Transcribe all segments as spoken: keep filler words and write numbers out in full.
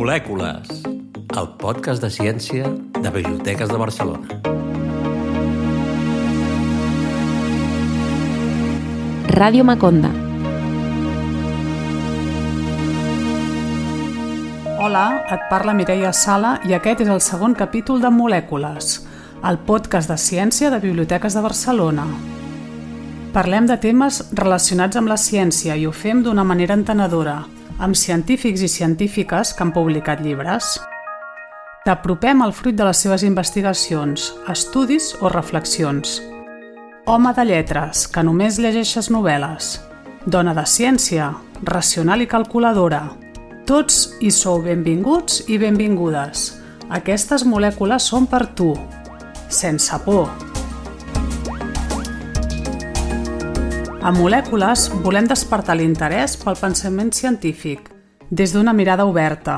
Molècules, el podcast de ciència de Biblioteques de Barcelona. Ràdio Maconda. Hola, et parla Mireia Sala i aquest és el segon capítol de Molècules, el podcast de ciència de Biblioteques de Barcelona. Parlem de temes relacionats amb la ciència i ho fem d'una manera entenedora, amb científics i científiques que han publicat llibres. T'apropem al fruit de les seves investigacions, estudis o reflexions. Home de lletres, que només llegeixes novel·les. Dona de ciència, racional i calculadora. Tots hi sou benvinguts i benvingudes. Aquestes molècules són per tu, sense por. A Molècules volem despertar l'interès pel pensament científic, des d'una mirada oberta.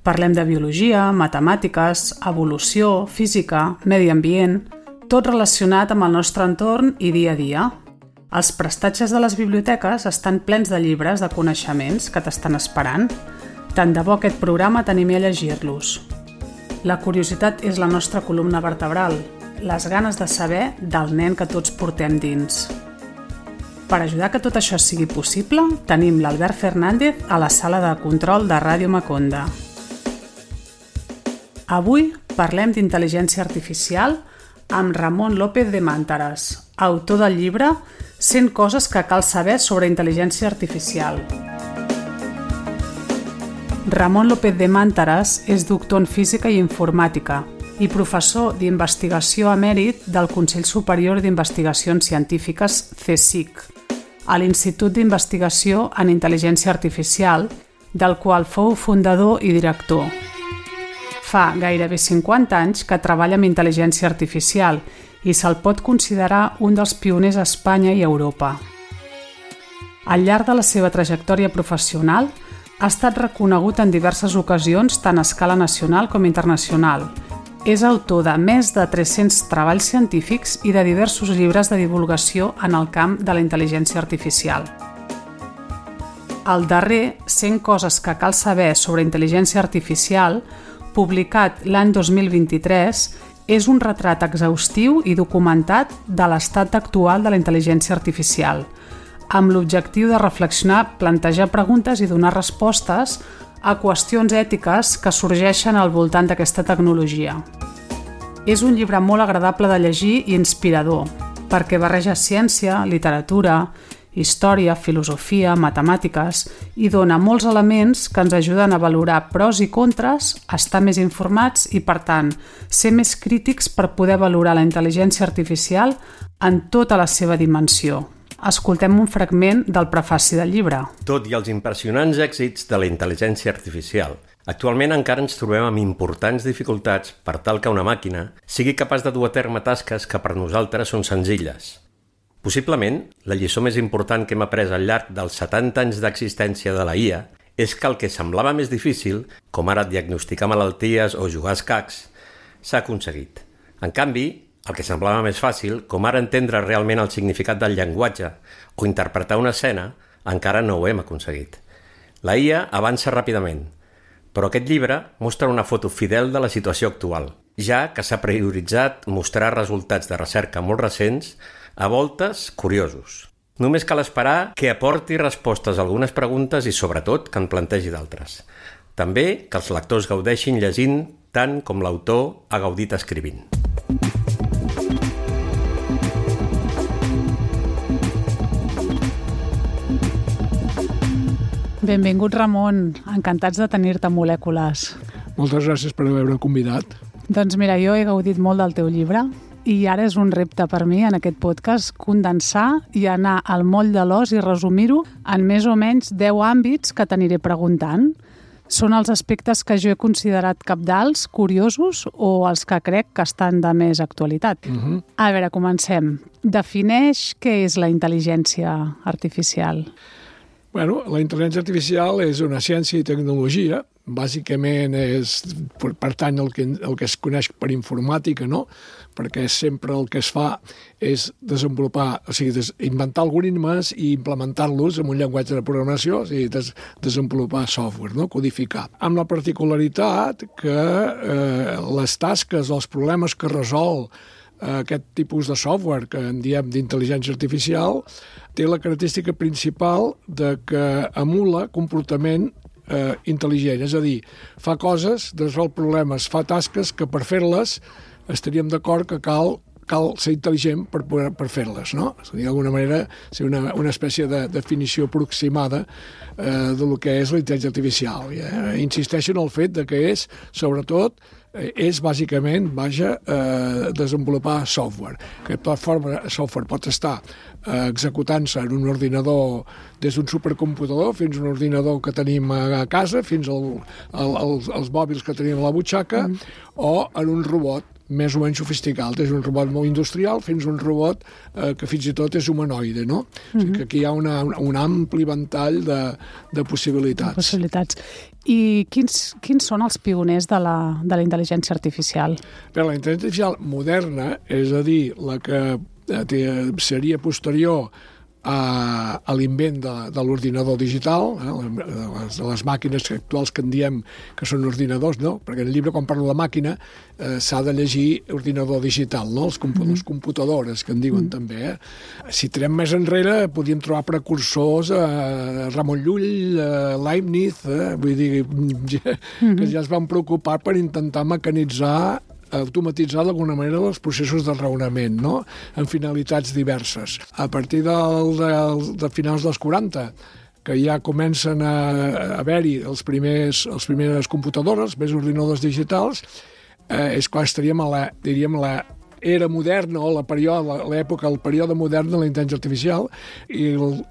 Parlem de biologia, matemàtiques, evolució, física, medi ambient, tot relacionat amb el nostre entorn i dia a dia. Els prestatges de les biblioteques estan plens de llibres de coneixements que t'estan esperant. Tant de bo aquest programa t'animi a llegir-los. La curiositat és la nostra columna vertebral, les ganes de saber del nen que tots portem dins. Per ajudar que tot això sigui possible, tenim l'Albert Fernández a la sala de control de Ràdio Maconda. Avui parlem d'intel·ligència artificial amb Ramon López de Màntares, autor del llibre cent coses que cal saber sobre intel·ligència artificial. Ramon López de Màntares és doctor en física i informàtica i professor d'investigació emèrit del Consell Superior d'Investigacions Científiques C S I C, a l'Institut d'Investigació en Intel·ligència Artificial, del qual fou fundador i director. Fa gairebé cinquanta anys que treballa amb intel·ligència artificial i se'l pot considerar un dels pioners a Espanya i Europa. Al llarg de la seva trajectòria professional, ha estat reconegut en diverses ocasions tant a escala nacional com internacional. És autor de més de tres-cents treballs científics i de diversos llibres de divulgació en el camp de la intel·ligència artificial. El darrer, cent coses que cal saber sobre intel·ligència artificial, publicat l'any dos mil vint-i-tres, és un retrat exhaustiu i documentat de l'estat actual de la intel·ligència artificial, amb l'objectiu de reflexionar, plantejar preguntes i donar respostes a qüestions ètiques que sorgeixen al voltant d'aquesta tecnologia. És un llibre molt agradable de llegir i inspirador, perquè barreja ciència, literatura, història, filosofia, matemàtiques i dona molts elements que ens ajuden a valorar pros i contres, estar més informats i, per tant, ser més crítics per poder valorar la intel·ligència artificial en tota la seva dimensió. Escoltem un fragment del prefaci del llibre. Tot i els impressionants èxits de la intel·ligència artificial, actualment encara ens trobem amb importants dificultats per tal que una màquina sigui capaç de dur a terme tasques que per nosaltres són senzilles. Possiblement, la lliçó més important que hem après al llarg dels setanta anys d'existència de la I A és que el que semblava més difícil, com ara diagnosticar malalties o jugar a escacs, s'ha aconseguit. En canvi, el que semblava més fàcil, com ara entendre realment el significat del llenguatge o interpretar una escena, encara no ho hem aconseguit. La I A avança ràpidament, però aquest llibre mostra una foto fidel de la situació actual, ja que s'ha prioritzat mostrar resultats de recerca molt recents, a voltes curiosos. Només cal esperar que aporti respostes a algunes preguntes i, sobretot, que en plantegi d'altres. També que els lectors gaudeixin llegint tant com l'autor ha gaudit escrivint. Benvingut, Ramon. Encantats de tenir-te a Molècules. Moltes gràcies per haver-me convidat. Doncs mira, jo he gaudit molt del teu llibre i ara és un repte per mi en aquest podcast condensar i anar al moll de l'os i resumir-ho en més o menys deu àmbits que t'aniré preguntant. Són els aspectes que jo he considerat cabdals, curiosos o els que crec que estan de més actualitat. Uh-huh. A veure, comencem. Defineix què és la intel·ligència artificial. Bueno, la intel·ligència artificial és una ciència i tecnologia bàsicament és, pertany al que, el que es coneix per informàtica, no? Perquè sempre el que es fa és desenvolupar, o sigui, des, inventar algoritmes i implementar-los en un llenguatge de programació, o sigui, des, desenvolupar software, no? Codificar. Amb la particularitat que eh, les tasques, els problemes que resol eh, aquest tipus de software que en diem d'intel·ligència artificial té la característica principal de que emula comportament eh, intel·ligent, és a dir, fa coses, resol problemes, fa tasques que per fer-les estaríem d'acord que cal, cal ser intel·ligent per, poder, per fer-les, no? És a dir, d'alguna manera, ser una, una espècie de definició aproximada eh, de lo que és la intel·ligència artificial. Eh? Insisteixo en el fet de que és, sobretot, eh, és bàsicament, vaja, eh, desenvolupar software. Aquest plataforma software pot estar eh, executant-se en un ordinador des d'un supercomputador fins a un ordinador que tenim a casa, fins al, al, als, als mòbils que tenim a la butxaca, mm. o en un robot més o menys sofisticat, des d'un robot molt industrial fins a un robot eh, que fins i tot és humanoide, no? Mm-hmm. O sigui que aquí hi ha una, un, un ampli ventall de, de possibilitats. De possibilitats. I quins, quins són els pioners de la, de la intel·ligència artificial? Bé, la intel·ligència artificial moderna, és a dir, la que eh, seria posterior a, a l'invent de, de l'ordinador digital, eh, les, les màquines actuals que en diem que són ordinadors, no? Perquè en el llibre, quan parlo de màquina, eh, s'ha de llegir ordinador digital, no? Els comp mm. les computadores, que en diuen mm. també. Eh? Si tirem més enrere, podíem trobar precursors a eh, Ramon Llull, a Leibniz, eh? Vull dir, ja, mm. que ja es van preocupar per intentar mecanitzar, automatitzar d'alguna manera els processos de raonament, no? En finalitats diverses. A partir del, del, de finals dels quaranta, que ja comencen a, a haver-hi els primers, els primeres computadores, més ordinadors digitals, eh, és quan estaríem a la, diríem, la era moderna, o la període, l'època, el període modern de la intel·ligència artificial, i el,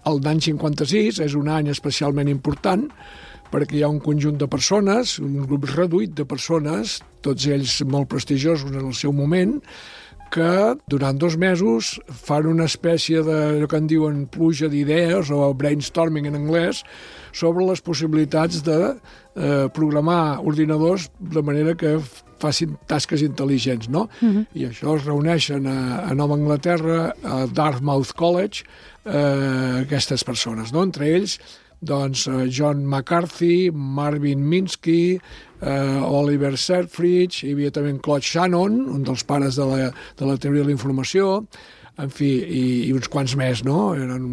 el d'any cinquanta-sis és un any especialment important, perquè hi ha un conjunt de persones, un grup reduït de persones, tots ells molt prestigiosos en el seu moment, que durant dos mesos fan una espècie de, allò que en diuen pluja d'idees, o brainstorming en anglès, sobre les possibilitats de eh, programar ordinadors de manera que facin tasques intel·ligents, no? Uh-huh. I això es reuneixen a, a Nova Anglaterra, a Dartmouth College, eh, aquestes persones, no? Entre ells, doncs, John McCarthy, Marvin Minsky, eh, Oliver Selfridge, hi havia també Claude Shannon, un dels pares de la, de la teoria de la informació, en fi, i, i uns quants més, no? Eren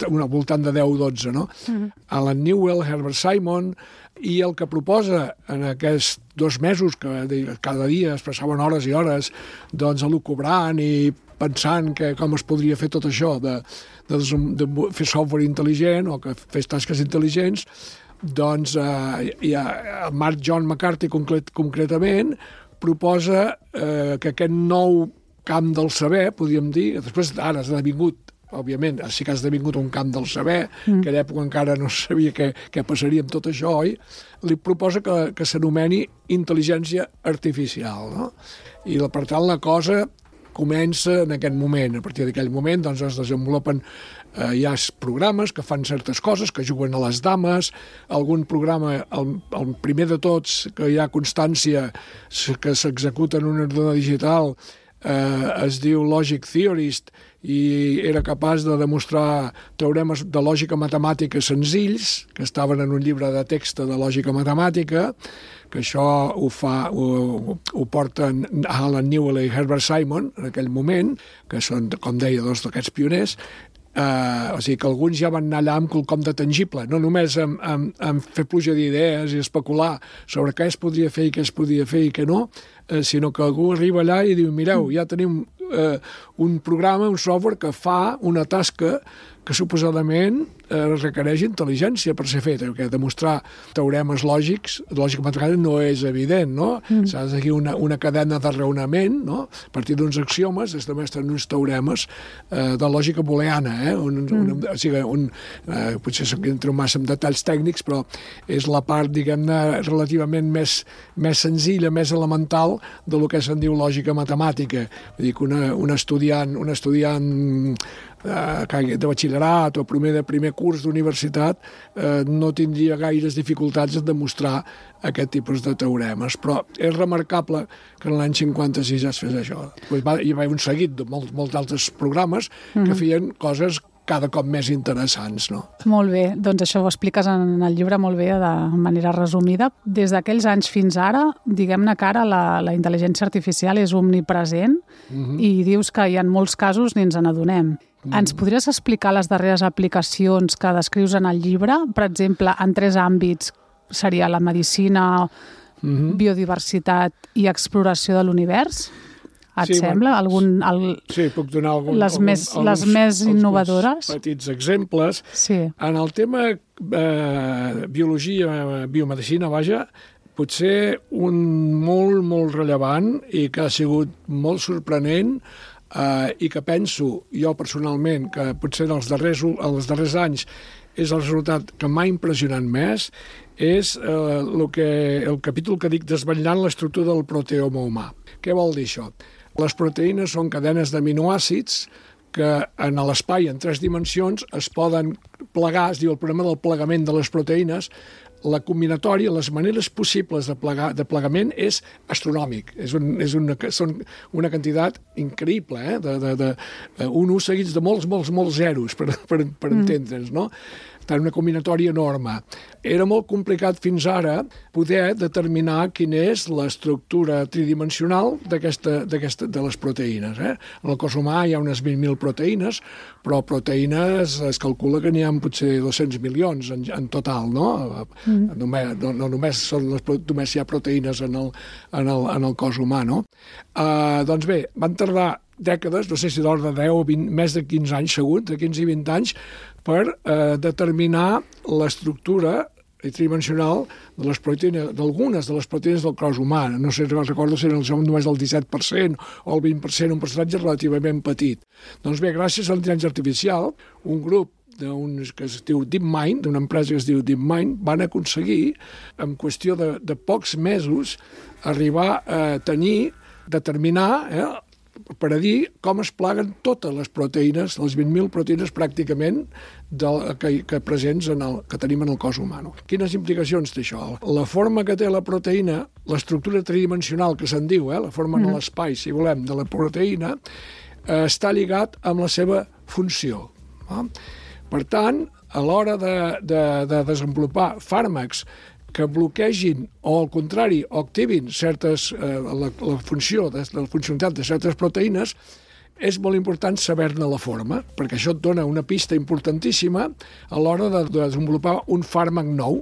una voltant de deu o dotze, no? Mm-hmm. Alan Newell, Herbert Simon, i el que proposa en aquests dos mesos, que cada dia es passaven hores i hores, doncs, elucubrant i pensant que com es podria fer tot això de, de, de fer software intel·ligent o que fes tasques intel·ligents, doncs eh, hi ha Mark John McCarthy concret, concretament proposa eh, que aquest nou camp del saber, podríem dir, després ara ha esdevingut, òbviament, sí que ha esdevingut un camp del saber, mm. que a l'època encara no sabia què, què passaria amb tot això, oi? Li proposa que, que s'anomeni intel·ligència artificial, no? I per tant la cosa comença en aquest moment. A partir d'aquell moment doncs, es desenvolupen eh, ja programes que fan certes coses, que juguen a les dames, algun programa, el, el primer de tots, que hi ha constància que s'executa en un ordinador digital, eh, es diu Logic Theorist, i era capaç de demostrar teoremes de lògica matemàtica senzills, que estaven en un llibre de text de lògica matemàtica, que això ho, fa, ho, ho porten Alan Newell i Herbert Simon en aquell moment, que són, com deia, dos d'aquests pioners. Uh, o sigui que alguns ja van anar allà amb quelcom de tangible, no només amb, amb, amb fer pluja d'idees i especular sobre què es podria fer i què es podia fer i què no, uh, sinó que algú arriba allà i diu, mireu, ja tenim uh, un programa, un software que fa una tasca que suposadament eh, requereix intel·ligència per ser feta, perquè demostrar teoremes lògics, lògica matemàtica no és evident, no? Mm. S'ha de seguir una, una cadena de raonament, no? A partir d'uns axiomes es demostren uns teoremes eh, de lògica booleana, eh? Un, mm. un, o sigui, un, eh, potser entro massa en detalls tècnics, però és la part, diguem-ne, relativament més, més senzilla, més elemental de lo que se'n diu lògica matemàtica. Vull dir que una, un estudiant, un estudiant de batxillerat o primer de primer curs d'universitat eh, no tindria gaires dificultats en demostrar aquest tipus de teoremes, però és remarcable que en l'any cinquanta-sis ja es fes això. Hi va haver un seguit de molts, molts altres programes que feien coses cada cop més interessants, no? Molt bé, doncs això ho expliques en el llibre molt bé de manera resumida. Des d'aquells anys fins ara, diguem-ne que ara la, la intel·ligència artificial és omnipresent uh-huh. i dius que hi ha molts casos ni ens n'adonem. Uh-huh. Ens podries explicar les darreres aplicacions que descrius en el llibre? Per exemple, en tres àmbits seria la medicina, uh-huh. biodiversitat i exploració de l'univers? Et sí, sembla? Algun, el, sí, puc donar algun, les algun, més, alguns, les més innovadores? Petits exemples. Sí. En el tema eh, biologia, biomedicina, vaja, potser un molt, molt rellevant i que ha sigut molt sorprenent eh, i que penso jo personalment que potser en els darrers, els darrers anys és el resultat que m'ha impressionat més, és eh, lo que, el capítol que dic desvetllant l'estructura del proteoma humà. Què vol dir això? Les proteïnes són cadenes d'aminoàcids que en l'espai en tres dimensions es poden plegar, es diu el problema del plegament de les proteïnes. La combinatòria, les maneres possibles de, plegar, de plegament és astronòmic. És, un, és una, són una quantitat increïble, eh? de, de, de, un ús seguits de molts, molts, molts zeros, per, per, per mm. entendre'ns, no? Tant una combinatòria enorme. Era molt complicat fins ara poder determinar quina és l'estructura tridimensional d'aquesta, d'aquesta, de les proteïnes. Eh? En el cos humà hi ha unes vint mil proteïnes, però proteïnes es calcula que n'hi ha potser dos-cents milions en, en total, no? Mm. Només, no, no només, són les, només hi ha proteïnes en el, en el, en el cos humà, no? Uh, doncs bé, van tardar dècades, no sé si d'ordre de deu o vint, més de quinze anys segur, de quinze i vint anys, per eh, determinar l'estructura tridimensional de les proteïnes, d'algunes de les proteïnes del cos humà. No sé, recordo si eren només el disset per cent o el vint per cent, un percentatge relativament petit. Doncs bé, gràcies a l'intel·ligència artificial, un grup d'uns que es diu DeepMind, d'una empresa que es diu DeepMind, van aconseguir, en qüestió de, de pocs mesos, arribar a tenir, determinar, eh, per a dir com es plaguen totes les proteïnes, les vint mil proteïnes pràcticament del, que, que presents en el, que tenim en el cos humà. Quines implicacions té això? La forma que té la proteïna, l'estructura tridimensional que se'n diu, eh, la forma mm. en l'espai, si volem, de la proteïna, eh, està lligat amb la seva funció. Eh? Per tant, a l'hora de, de, de desenvolupar fàrmacs que bloquegin o, al contrari, o activin certes, eh, la, la funció, de, la funcionalitat de certes proteïnes, és molt important saber-ne la forma, perquè això et dona una pista importantíssima a l'hora de, de desenvolupar un fàrmac nou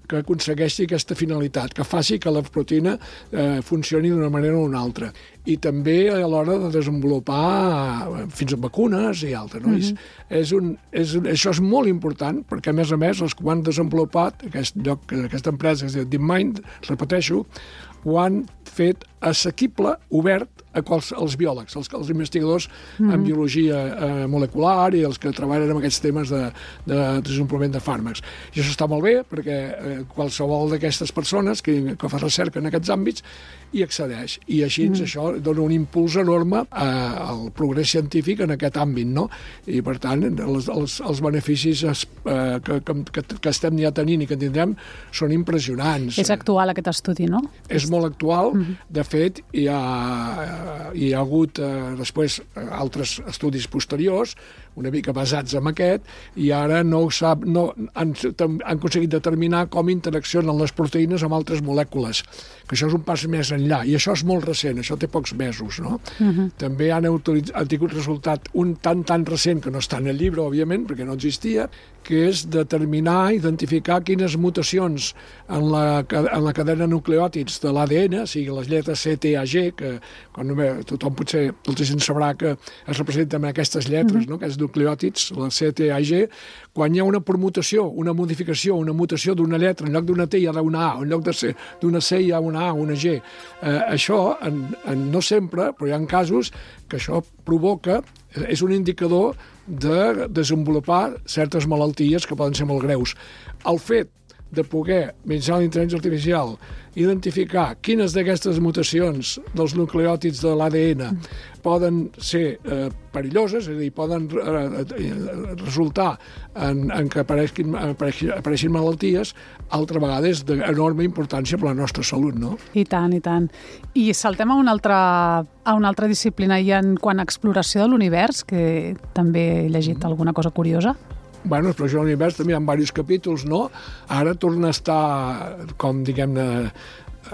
que aconsegueixi aquesta finalitat, que faci que la proteïna eh, funcioni d'una manera o una altra. I també a l'hora de desenvolupar fins a vacunes i altres. No? Mm-hmm. és, és un, és un, això és molt important, perquè a més a més els que ho han desenvolupat, aquest lloc, aquesta empresa que es diu DeepMind, repeteixo, ho han fet assequible, obert a quals, als biòlegs, als, als investigadors mm-hmm. en biologia eh, molecular i els que treballen amb aquests temes de, de desenvolupament de fàrmacs. I això està molt bé, perquè eh, qualsevol d'aquestes persones que, que fa recerca en aquests àmbits hi accedeix. I així mm-hmm. això dona un impuls enorme eh, al progrés científic en aquest àmbit, no? I, per tant, els, els, els beneficis es, eh, que, que, que estem ja tenint i que tindrem són impressionants. És actual aquest estudi, no? És molt actual. Mm-hmm. De fet, hi ha, hi ha hagut eh, després altres estudis posteriors, una mica basats en aquest, i ara no ho sap, no, han, han aconseguit determinar com interaccionen les proteïnes amb altres molècules, que això és un pas més enllà, i això és molt recent, això té pocs mesos, no? Uh-huh. També han, han tingut resultat un tan, tan recent, que no està en el llibre, òbviament, perquè no existia, que és determinar, identificar quines mutacions en la, en la cadena de nucleòtids de l'A D N, o sigui, les lletres C, T, A, G, que quan tothom potser, molta gent sabrà que es representen amb aquestes lletres, uh-huh. no? Aquests nucleòtids, la C, T, A, G, quan hi ha una permutació, una modificació, una mutació d'una lletra, en lloc d'una T hi ha una A, en lloc d'una C hi ha una A, una G. Eh, això, en, en, no sempre, però hi ha casos que això provoca, és un indicador de desenvolupar certes malalties que poden ser molt greus. El fet de poder, mitjançant la intel·ligència artificial, identificar quines d'aquestes mutacions dels nucleòtids de l'A D N poden ser eh, perilloses, és a dir, poden eh, resultar en, en que apareixin, apareixin, apareixin malalties, altra vegada és d'enorme importància per la nostra salut, no? I tant, i tant. I saltem a una altra, a una altra disciplina, i en quant a exploració de l'univers, que també he llegit mm. alguna cosa curiosa. Bueno, l'exploració de l'univers també hi ha diversos capítols, no? Ara torna a estar, com diguem-ne,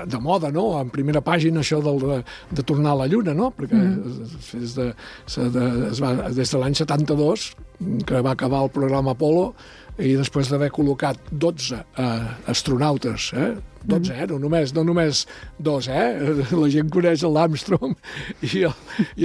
de moda, no? En primera pàgina això del, de, de tornar a la Lluna, no? Perquè mm. des, de, de, es va, des de l'any setanta-dos, que va acabar el programa Apollo, i després d'haver col·locat dotze eh, astronautes, eh? dotze, eh? No només, no només dos, eh? La gent coneix l'Armstrong i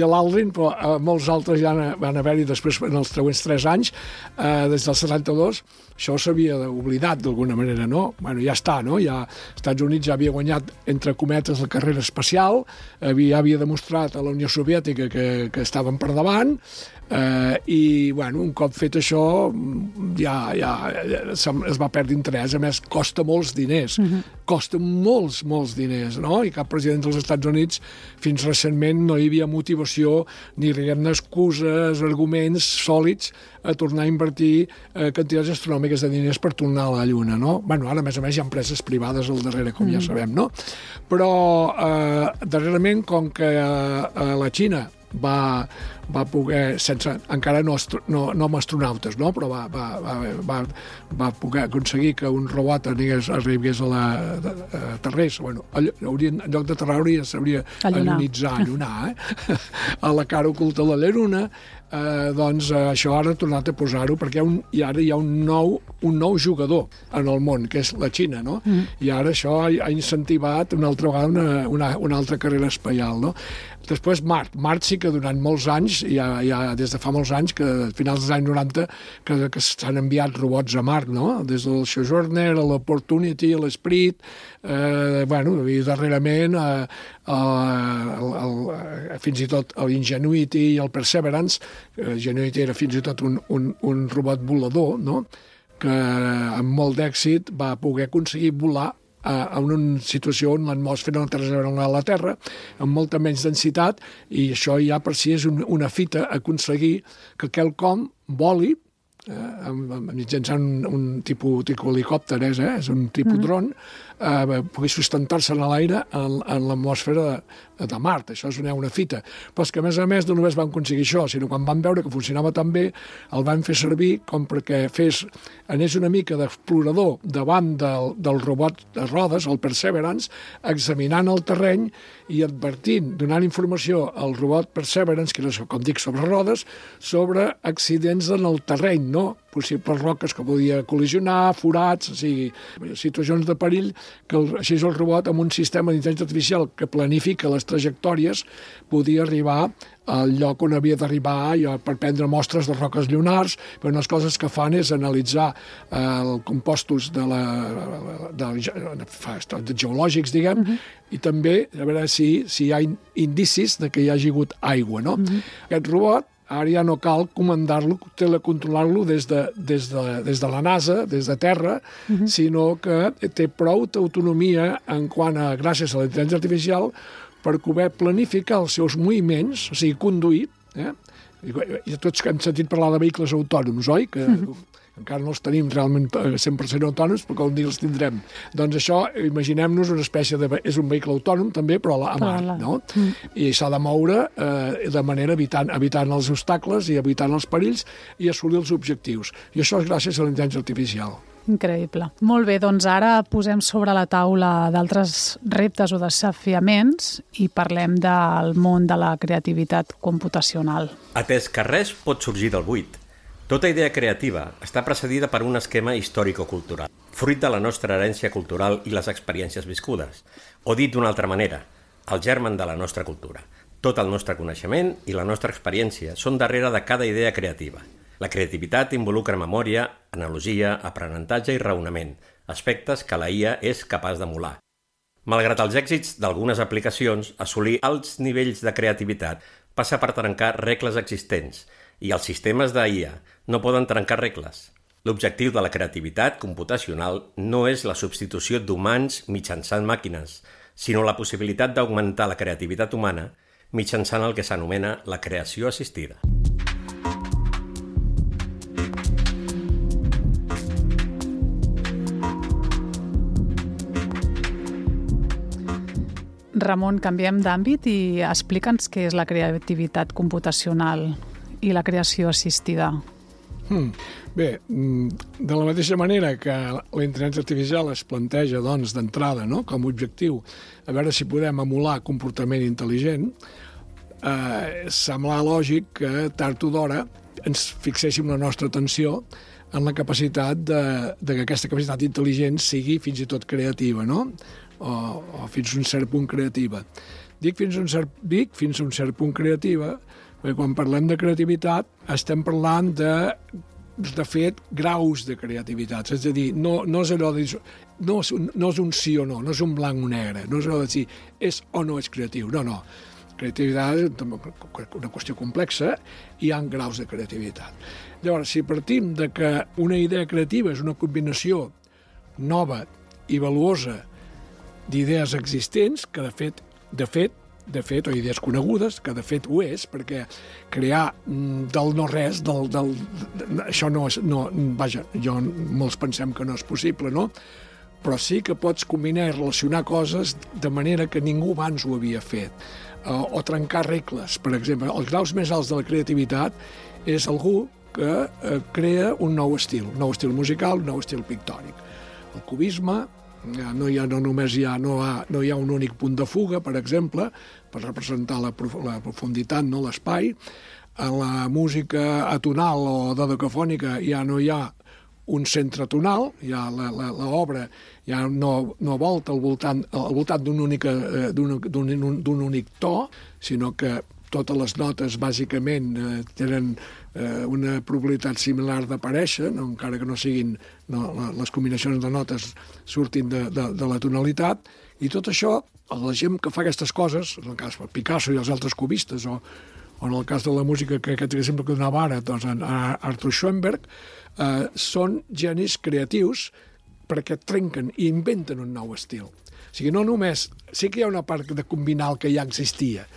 l'Aldrin, però eh, molts altres ja van haver-hi després en els següents tres anys, eh, des del setanta-dos, això s'havia oblidat d'alguna manera, no? Bueno, ja està, no? Ja, els Estats Units ja havia guanyat, entre cometes, la carrera espacial, havia, havia demostrat a la Unió Soviètica que, que estaven per davant, eh, i, bueno, un cop fet això, ja, ja es va perdre interès. A més, costa molts diners. Uh-huh. Costa molts, molts diners, no? I cap president dels Estats Units, fins recentment, no hi havia motivació ni diguem-ne excuses, arguments sòlids a tornar a invertir eh, quantitats astronòmiques de diners per tornar a la Lluna, no? Bueno, ara, a més a més, hi ha empreses privades al darrere, com mm. ja sabem, no? Però, eh, darrerament, com que eh, la Xina va, va poder, sense, encara no, no, no amb astronautes, no? Però va, va, va, va poder aconseguir que un robot arribés, arribés a la a terrés, bueno, haurien, en lloc de terrar hauria, s'hauria allunitzar, allunar, eh? A la cara oculta de la Lluna. Eh, doncs eh, això ara ha tornat a posar-ho perquè hi ha un, i ara hi ha un nou, un nou jugador en el món, que és la Xina, no? Mm. I ara això ha, ha incentivat una altra vegada una, una, una altra carrera espacial, no? Després Mart. Mart sí que durant molts anys, ja, ja des de fa molts anys, que a finals dels anys noranta, que, que s'han enviat robots a Mart, no? Des del Sojourner, a l'Opportunity, a l'Esprit, eh, bueno, i darrerament eh, el, el, el, fins i tot l'Ingenuity i el Perseverance. Ingenuity era fins i tot un, un, un robot volador, no? Que amb molt d'èxit va poder aconseguir volar a una situació on l'atmosfera no té res a veure amb la Terra, amb molta menys densitat, i això ja per si és un, una fita aconseguir que quelcom voli eh, mitjançant un, un tipus, tipus helicòpter, és, eh? És un tipus mm. dron, eh, pugui sustentar-se en l'aire en, en l'atmosfera de, de Mart. Això és una, una fita. Però és que, a més a més, no només van aconseguir això, sinó quan van veure que funcionava tan bé, el van fer servir com perquè fes, anés una mica d'explorador davant del, del robot de rodes, el Perseverance, examinant el terreny i advertint, donant informació al robot Perseverance, que era, com dic, sobre rodes, sobre accidents en el terreny, no? Possibles roques que podia col·lisionar, forats, o sigui, situacions de perill, que el, així el robot, amb un sistema d'intel·ligència artificial que planifica les trajectòries, podia arribar al lloc on havia d'arribar per prendre mostres de roques lunars, però unes coses que fan és analitzar eh, els compostos de la, de, de, de geològics, diguem, uh-huh. i també a veure si, si hi ha indicis de que hi hagi hagut aigua, no? Uh-huh. Aquest robot ara ja no cal comandar-lo, telecontrolar-lo des de, des, de, des de la NASA, des de terra, uh-huh. sinó que té prou autonomia en quant a, gràcies a la intel·ligència artificial, per poder planificar els seus moviments, o sigui, conduir, eh? I, i tots hem sentit parlar de vehicles autònoms, oi? Que uh-huh. encara no els tenim realment cent per cent autònoms, però un dia els tindrem. Doncs això, imaginem-nos una espècie de... És un vehicle autònom, també, però a mar, no? Mm. I s'ha de moure eh, de manera evitant, evitant els obstacles i evitant els perills i assolir els objectius. I això és gràcies a la intel·ligència artificial. Increïble. Molt bé, doncs ara posem sobre la taula d'altres reptes o desafiaments i parlem del món de la creativitat computacional. Atès que res pot sorgir del buit, tota idea creativa està precedida per un esquema històrico-cultural, fruit de la nostra herència cultural i les experiències viscudes, o dit d'una altra manera, el germen de la nostra cultura. Tot el nostre coneixement i la nostra experiència són darrere de cada idea creativa. La creativitat involucra memòria, analogia, aprenentatge i raonament, aspectes que la I A és capaç d'emular. Malgrat els èxits d'algunes aplicacions, assolir alts nivells de creativitat passa per trencar regles existents, i els sistemes d'I A no poden trencar regles. L'objectiu de la creativitat computacional no és la substitució d'humans mitjançant màquines, sinó la possibilitat d'augmentar la creativitat humana mitjançant el que s'anomena la creació assistida. Ramon, canviem d'àmbit i explica'ns què és la creativitat computacional i la creació assistida. Hmm. Bé, de la mateixa manera que la intel·ligència artificial es planteja doncs, d'entrada, no?, com a objectiu a veure si podem emular comportament intel·ligent, eh, sembla lògic que tard o d'hora ens fixéssim la nostra atenció en la capacitat de, de que aquesta capacitat intel·ligent sigui fins i tot creativa, no?, o, o fins a un cert punt creativa. Dic fins a un cert, dic fins a un cert punt creativa perquè quan parlem de creativitat estem parlant de, de fet, graus de creativitat. És a dir, no, no és allò de dir, no, no és un sí o no, no és un blanc o negre, no és allò de dir és o no és creatiu. No, no. Creativitat és una qüestió complexa i hi ha graus de creativitat. Llavors, si partim de que una idea creativa és una combinació nova i valuosa d'idees existents, que de fet, de fet, de fet, o idees conegudes, que de fet ho és, perquè crear del no-res, del, del, això no és, no, vaja, jo, molts pensem que no és possible, no? Però sí que pots combinar i relacionar coses de manera que ningú abans ho havia fet. O, o trencar regles, per exemple. Els graus més alts de la creativitat és algú que eh, crea un nou estil, un nou estil musical, un nou estil pictòric. El cubisme, no, hi ha, no només hi ha, no, ha, no hi ha un únic punt de fuga, per exemple, per representar la, prof, la profunditat, no, l'espai. En la música atonal o dodecafònica ja no hi ha un centre tonal, ja l'obra ja no, no volta al voltant, al voltant d'un únic, d'un únic to, sinó que totes les notes bàsicament eh, tenen eh, una probabilitat similar d'aparèixer, no, encara que no siguin no, les combinacions de notes surtin de, de, de la tonalitat, i tot això, la gent que fa aquestes coses, en el cas de Picasso i els altres cubistes, o, o en el cas de la música que aquest exemple que donava ara, doncs en Arthur Schoenberg, eh, són genis creatius perquè trenquen i inventen un nou estil. O sigui, no només, sí que hi ha una part de combinar el que ja existia,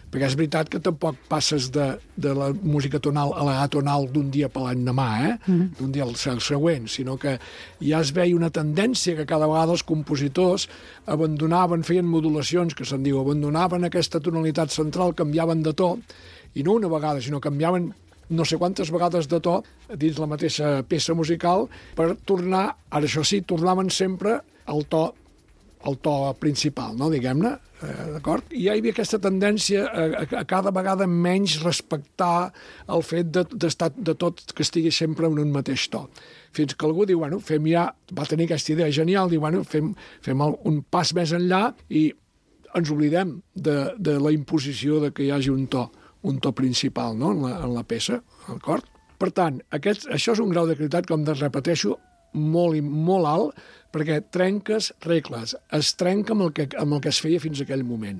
perquè és veritat que tampoc passes de, de la música tonal a la atonal d'un dia per l'endemà, eh? Mm-hmm. d'un dia al següent, sinó que ja es veia una tendència que cada vegada els compositors abandonaven, feien modulacions, que se'n diu, abandonaven aquesta tonalitat central, canviaven de to, i no una vegada, sinó canviaven no sé quantes vegades de to dins la mateixa peça musical per tornar, ara això sí, tornaven sempre al to el to principal, no, diguem-ne, eh, d'acord? I ja hi havia aquesta tendència a, a, a cada vegada menys respectar el fet de, d'estar de tot que estigui sempre en un mateix to. Fins que algú diu, bueno, fem ja, va tenir aquesta idea genial, diu, bueno, fem, fem el, un pas més enllà i ens oblidem de, de la imposició de que hi hagi un to, un to principal, no?, en la, en la peça, d'acord? Per tant, aquest, això és un grau de creativitat, com de repeteixo, molt i molt alt, perquè trenques regles, es trenca amb el, que, amb el que es feia fins a aquell moment.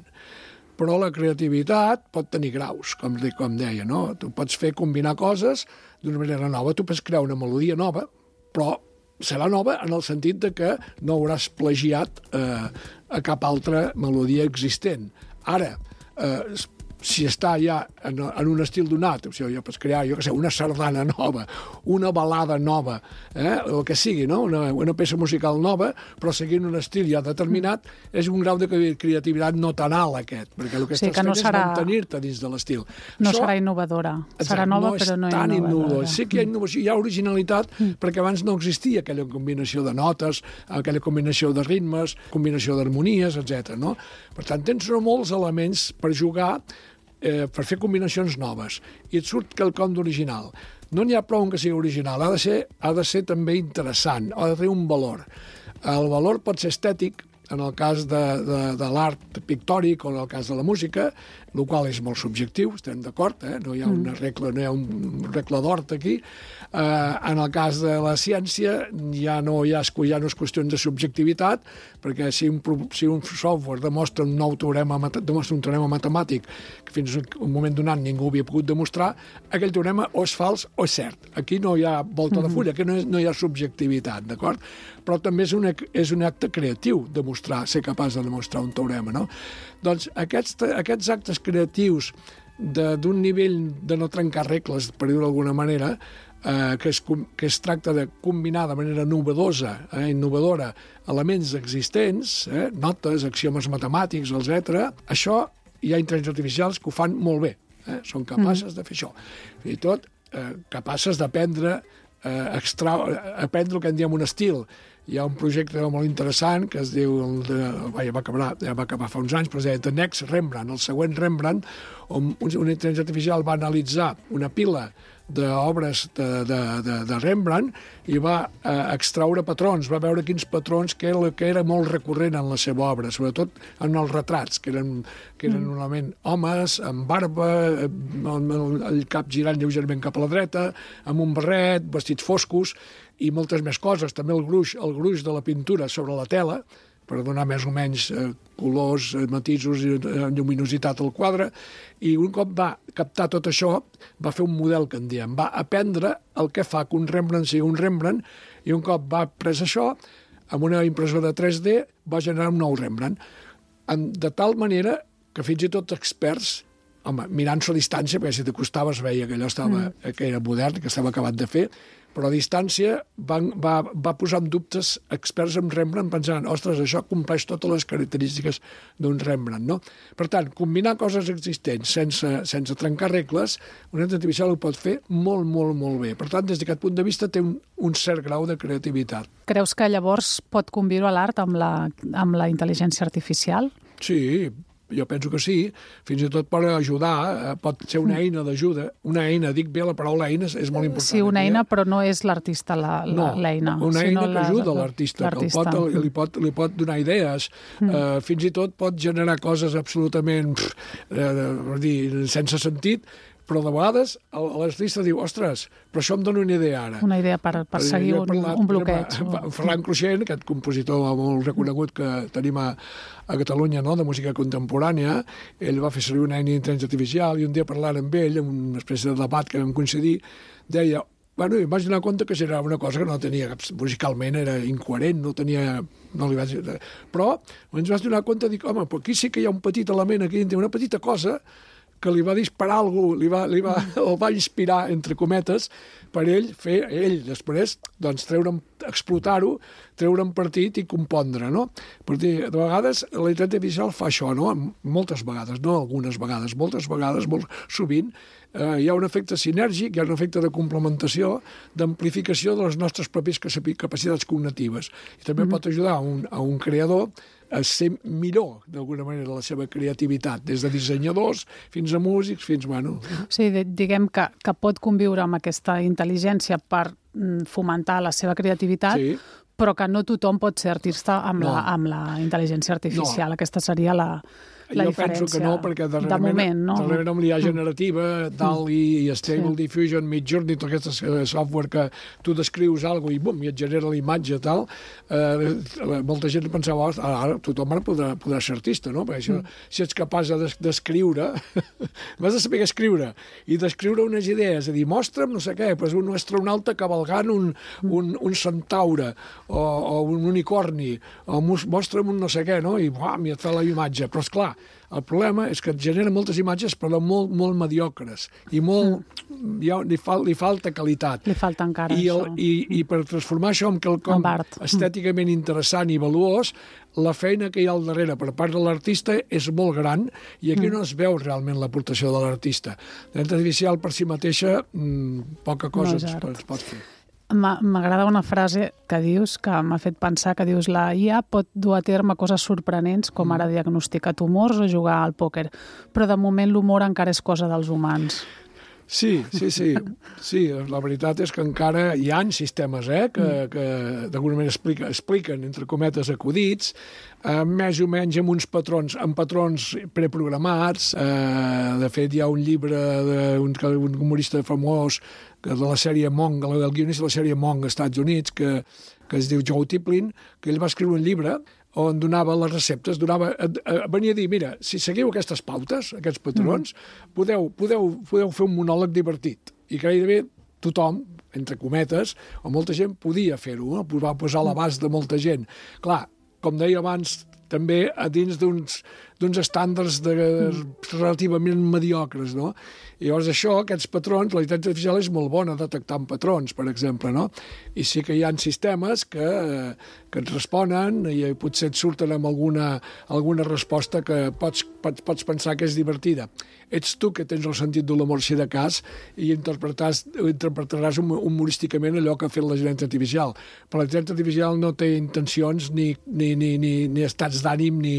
Però la creativitat pot tenir graus, com, com deia, no? Tu pots fer combinar coses d'una manera nova, tu pots crear una melodia nova, però serà nova en el sentit de que no hauràs plagiat eh, a cap altra melodia existent. Ara, eh, si està ja en, en un estil donat, o sigui, jo pots crear, jo què sé, una sardana nova, una balada nova, eh, el que sigui, no? una, una peça musical nova, però seguint un estil ja determinat, és un grau de creativitat no tan alt aquest, perquè el que o sigui, estàs que no fent serà... és mantenir-te dins de l'estil. No Això, serà innovadora, exacte, serà nova no però no tan innovadora. Sí que hi ha innovació, hi ha originalitat, mm. perquè abans no existia aquella combinació de notes, aquella combinació de ritmes, combinació d'harmonies, etcètera. No? Per tant, tens molts elements per jugar, Eh, per fer combinacions noves, i et surt quelcom d'original. No n'hi ha prou en que sigui original, ha de ser, ha de ser també interessant, ha de tenir un valor. El valor pot ser estètic, en el cas de, de, de l'art pictòric o en el cas de la música, el qual és molt subjectiu, estem d'acord, eh? No hi ha una regla, no hi ha un regla d'hort aquí. Eh, en el cas de la ciència ja no, hi ha, ja no és qüestió de subjectivitat, perquè si un, si un software demostra un nou teorema, demostra un teorema matemàtic que fins a un moment donat ningú havia pogut demostrar, aquell teorema o és fals o és cert. Aquí no hi ha volta de fulla, aquí no, és, no hi ha subjectivitat, d'acord? Però també és un, és un acte creatiu demostrar, ser capaç de demostrar un teorema, no? Doncs aquests, aquests actes creatius d'un nivell de no trencar regles, per dir-ho d'alguna manera, eh, que, es, que es tracta de combinar de manera novedosa, eh, innovadora, elements existents, eh, notes, axiomes matemàtics, etcètera. Això hi ha intel·ligències artificials que ho fan molt bé, eh? Són capaces mm. de fer això. Fins i tot eh, capaces d'aprendre eh, extra, aprendre el que en diem un estil. Hi ha un projecte molt interessant que es diu, el de, ja, va acabar, ja va acabar fa uns anys, però es deia The Next Rembrandt, el següent Rembrandt, on una intel·ligència artificial va analitzar una pila d'obres de, de, de, de Rembrandt i va eh, extraure patrons, va veure quins patrons que era, que era molt recurrent en la seva obra, sobretot en els retrats, que eren, que eren mm. normalment homes amb barba, amb el, el cap girant lleugerament cap a la dreta, amb un barret, vestits foscos i moltes més coses. També el gruix, el gruix de la pintura sobre la tela, per donar més o menys eh, colors, eh, matisos i eh, lluminositat al quadre, i un cop va captar tot això, va fer un model que en diem, va aprendre el que fa que un Rembrandt sigui un Rembrandt, i un cop va pres això, amb una impressora tres D, va generar un nou Rembrandt. En, de tal manera que fins i tot experts, home, mirant-s'ho a distància, perquè si t'acostaves veia que allò estava, mm. que era modern, que estava acabat de fer, però a distància van, va, va posar en dubtes experts en Rembrandt pensant, ostres, això compleix totes les característiques d'un Rembrandt, no? Per tant, combinar coses existents sense, sense trencar regles, una intel·ligència artificial ho pot fer molt, molt, molt bé. Per tant, des d'aquest punt de vista té un, un cert grau de creativitat. Creus que llavors pot conviure l'art amb la, amb la intel·ligència artificial? Sí, jo penso que sí, fins i tot per ajudar, pot ser una eina d'ajuda. Una eina, dic bé, la paraula eina és molt important. Sí, una eina, però no és l'artista l'eina. No, una eina que ajuda l'artista, que pot, li, pot, li pot donar idees, mm. eh, fins i tot pot generar coses absolutament pff, eh, dir, sense sentit, però de vegades l'artista diu, ostres, però això em dona una idea ara. Una idea per, per seguir un, parlat, un bloqueig. Exemple, Ferran Cruixent, aquest compositor molt reconegut que tenim a, a Catalunya, no?, de música contemporània, ell va fer servir una eina d'intel·ligència artificial i un dia parlant amb ell, en una espècie de debat que vam coincidir, deia, bueno, em vaig donar compte que generava una cosa que no tenia, musicalment era incoherent, no tenia... No li vaig... Però ens vaig donar compte, dic, home, però aquí sí que hi ha un petit element, aquí una petita cosa que li va disparar algú, li va, li va, el va inspirar, entre cometes, per ell fer, ell després, doncs, treure'n, explotar-ho, treure'n partit i compondre, no? Per dir, de vegades, la intel·ligència artificial fa això, no? Moltes vegades, no algunes vegades, moltes vegades, molt sovint, eh, hi ha un efecte sinèrgic, hi ha un efecte de complementació, d'amplificació de les nostres pròpies capacitats cognitives. I també mm-hmm. pot ajudar a un, a un creador a ser millor, d'alguna manera, la seva creativitat, des de dissenyadors fins a músics, fins, bueno... Sí, diguem que, que pot conviure amb aquesta intel·ligència per fomentar la seva creativitat, sí. Però que no tothom pot ser artista amb, no. la, amb la intel·ligència artificial. No. Aquesta seria la... la jo diferència. Penso que no, perquè darrerament, de moment, no? darrerament amb l'I A generativa, DALL-E i Stable sí. Diffusion, Midjourney, tot aquest software que tu descrius alguna cosa i bum, i et genera la imatge i tal, eh, molta gent pensava, ara, ara tothom ara podrà, podrà ser artista, no? Perquè això, mm. si ets capaç de d'escriure, vas de saber escriure, i d'escriure unes idees, a dir, mostra'm no sé què, pues un astronauta cavalgant un, un, un centaure, o, o un unicorni, o mostra'm un no sé què, no? I buam, i et fa la imatge. Però, esclar, el problema és que et genera moltes imatges, però molt, molt mediocres, i molt, mm. ja, li, fal, li falta qualitat. Li falta encara I el, això. I, I per transformar això en quelcom estèticament interessant i valuós, la feina que hi ha al darrere per part de l'artista és molt gran, i aquí mm. no es veu realment l'aportació de l'artista. La intel·ligència artificial per si mateixa, mmm, poca cosa no ens, ens pot fer. M'agrada una frase que dius, que m'ha fet pensar, que dius la I A pot dur a terme coses sorprenents, com ara diagnosticar tumors o jugar al pòquer, però de moment l'humor encara és cosa dels humans. Sí, sí, sí. Sí, la veritat és que encara hi ha sistemes eh, que, que d'alguna manera explica, expliquen, entre cometes, acudits, eh, més o menys amb uns patrons, amb patrons preprogramats. Eh, de fet, hi ha un llibre d'un un humorista famós que de la sèrie Monk, del guionista de la sèrie Monk als Estats Units, que, que es diu Joe Tiplin, que ell va escriure un llibre on donava les receptes, donava, venia a dir, mira, si seguiu aquestes pautes, aquests patrons, mm. podeu, podeu, podeu fer un monòleg divertit. I gairebé tothom, entre cometes, o molta gent podia fer-ho, no? Va posar a l'abast de molta gent. Clar, com deia abans, també a dins d'uns d'uns estàndards de, relativament mediocres, no? I llavors això, aquests patrons, la intel·ligència artificial és molt bona detectant patrons, per exemple, no? I sí que hi ha sistemes que, que et responen i potser et surten amb alguna, alguna resposta que pots, pots, pots pensar que és divertida. Ets tu que tens el sentit de l'humor si de cas i interpretaràs, interpretaràs humorísticament allò que ha fet la intel·ligència artificial. Però la intel·ligència artificial no té intencions ni, ni, ni, ni, ni estats d'ànim ni,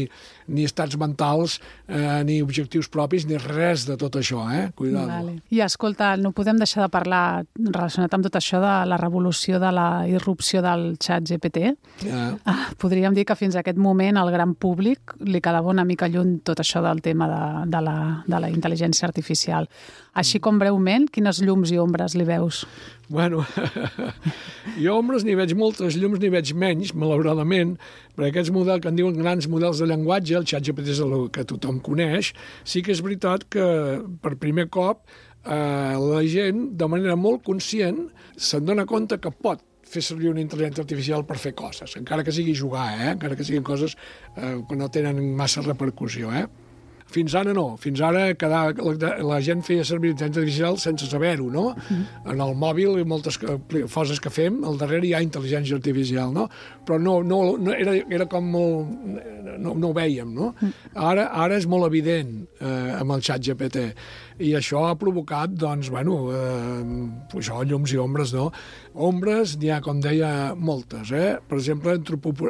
ni estats mentals, eh, ni objectius propis, ni res de tot això, eh? Cuidado. Vale. I escolta, no podem deixar de parlar relacionat amb tot això de la revolució de la irrupció del xat G P T. Yeah. Ah, podríem dir que fins a aquest moment al gran públic li quedava una mica lluny tot això del tema de, de, la, de la intel·ligència artificial. Així com breument, quines llums i ombres li veus? Bueno, jo ombres n'hi veig moltes, llums n'hi veig menys, malauradament, perquè aquests models que en diuen grans models de llenguatge, el xat G P T és el que tothom coneix, sí que és veritat que per primer cop eh, la gent, de manera molt conscient, se'n dona compte que pot fer servir una intel·ligència artificial per fer coses, encara que sigui jugar, eh? Encara que siguin coses eh, que no tenen massa repercussió, eh? Fins ara no, fins ara cada, la, la gent feia servir intel·ligència artificial sense saber-ho, no? Mm-hmm. En el mòbil i moltes coses que fem, al darrere hi ha intel·ligència artificial, no? Però no, no, no era, era com molt... No, no ho vèiem, no? Mm. Ara, ara és molt evident eh, amb el xat G P T i això ha provocat, doncs, bueno, eh, això, llums i ombres, no? Ombres n'hi ha, com deia, moltes, eh? Per exemple,